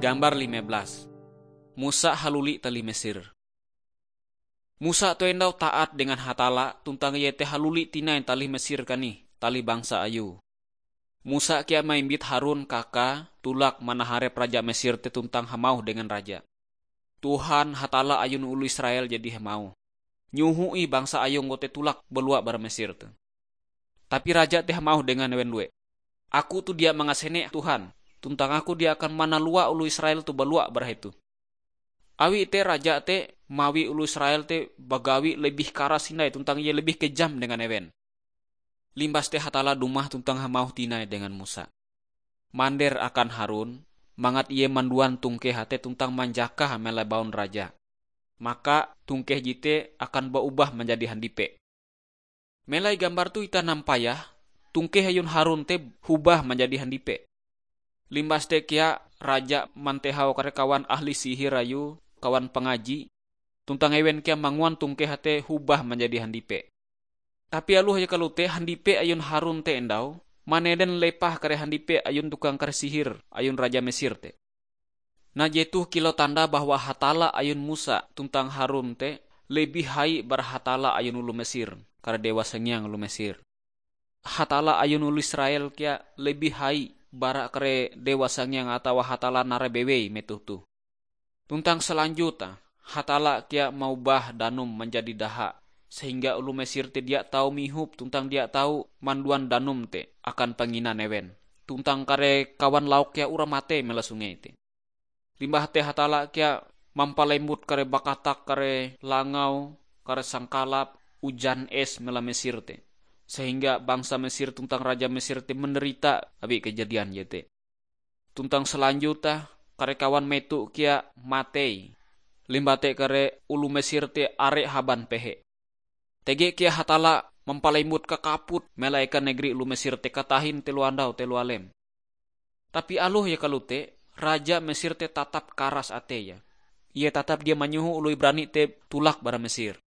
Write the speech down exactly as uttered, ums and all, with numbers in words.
Gambar lima belas. Musa haluli talih Mesir. Musa toh endau taat dengan Hatalla, tuntang ie te haluli tinai talih Mesir kanih, talih bangsa ayue. Musa kea maimbit Harun kakae tulak manaharep raja Mesir te tuntang hamauh dengan raja, "Tuhan Hatalla ayun oloh Israel jadi hamauh, 'Nyoho ih bangsa ayungku te tulak balua bara Mesir te.'" Tapi raja te hamauh dengan ewen due, "Aku toh dia mangasene Tuhan, tuntang aku dia akan manalua oloh Israel toh balua bara hetoh." Awi te raja te mawi oloh Israel te bagawi lebih karas hindai tuntang ie lebih kejam dengan ewen. Limbas te Hatalla dumah tuntang hamauh tinai dengan Musa, "Mander akan Harun, mangat ie manduan tongkeh te tuntang manjakah melai baun raja. Maka tongkeh jete akan baubah manjadi handipe." Melai gambar toh itah nampayah, tongkeh ayun Harun te hobah manjadi handipe. Limbas te kea raja mantehau kare kawan ahli sihir ayue, kawan pangaji, tuntang ewen kea manguan tongkeh te hobah manjadi handipe. Tapi aloh je kalote, handipe ayun Harun te endau manenden lepah kare handipe ayun tukang kare sihir ayun raja Mesir te. Nah, jetoh kilau tanda bahwa Hatalla ayun Musa tuntang Harun te lebih hai bara Hatalla ayun oloh Mesir, kare dewa sangiang oloh Mesir. Hatalla ayun oloh Israel kea lebih hai bara kare dewa sangiang atawa hatalla narai bewei metoh toh. Tuntang salanjuta, Hatalla kea maubah danum manjadi daha, sehingga oloh Mesir te dia tau mihop tuntang dia tau manduan danum te akan panginan ewen. Tuntang kare kawan lauk kea uras matei mela sungei te. Limbah te Hatalla kea mampalembut kare bakatak kare langau, kare sangkalap, ujan es mela Mesir te, sehingga bangsa Mesir tuntang raja Mesir te manderita awi kejadian jete. Tuntang salanjuta, kare kawan meto kea matei. Limbah te kare oloh Mesir te are haban pehe. Tege kea Hatalla mampalembut kakaput melaekan negeri oloh Mesir te katahin telo andau telo alem. Tapi aloh je kalote, raja Mesir te tatap karas ateie. Ie tatap dia manyoho oloh Ibrani te tulak bara Mesir.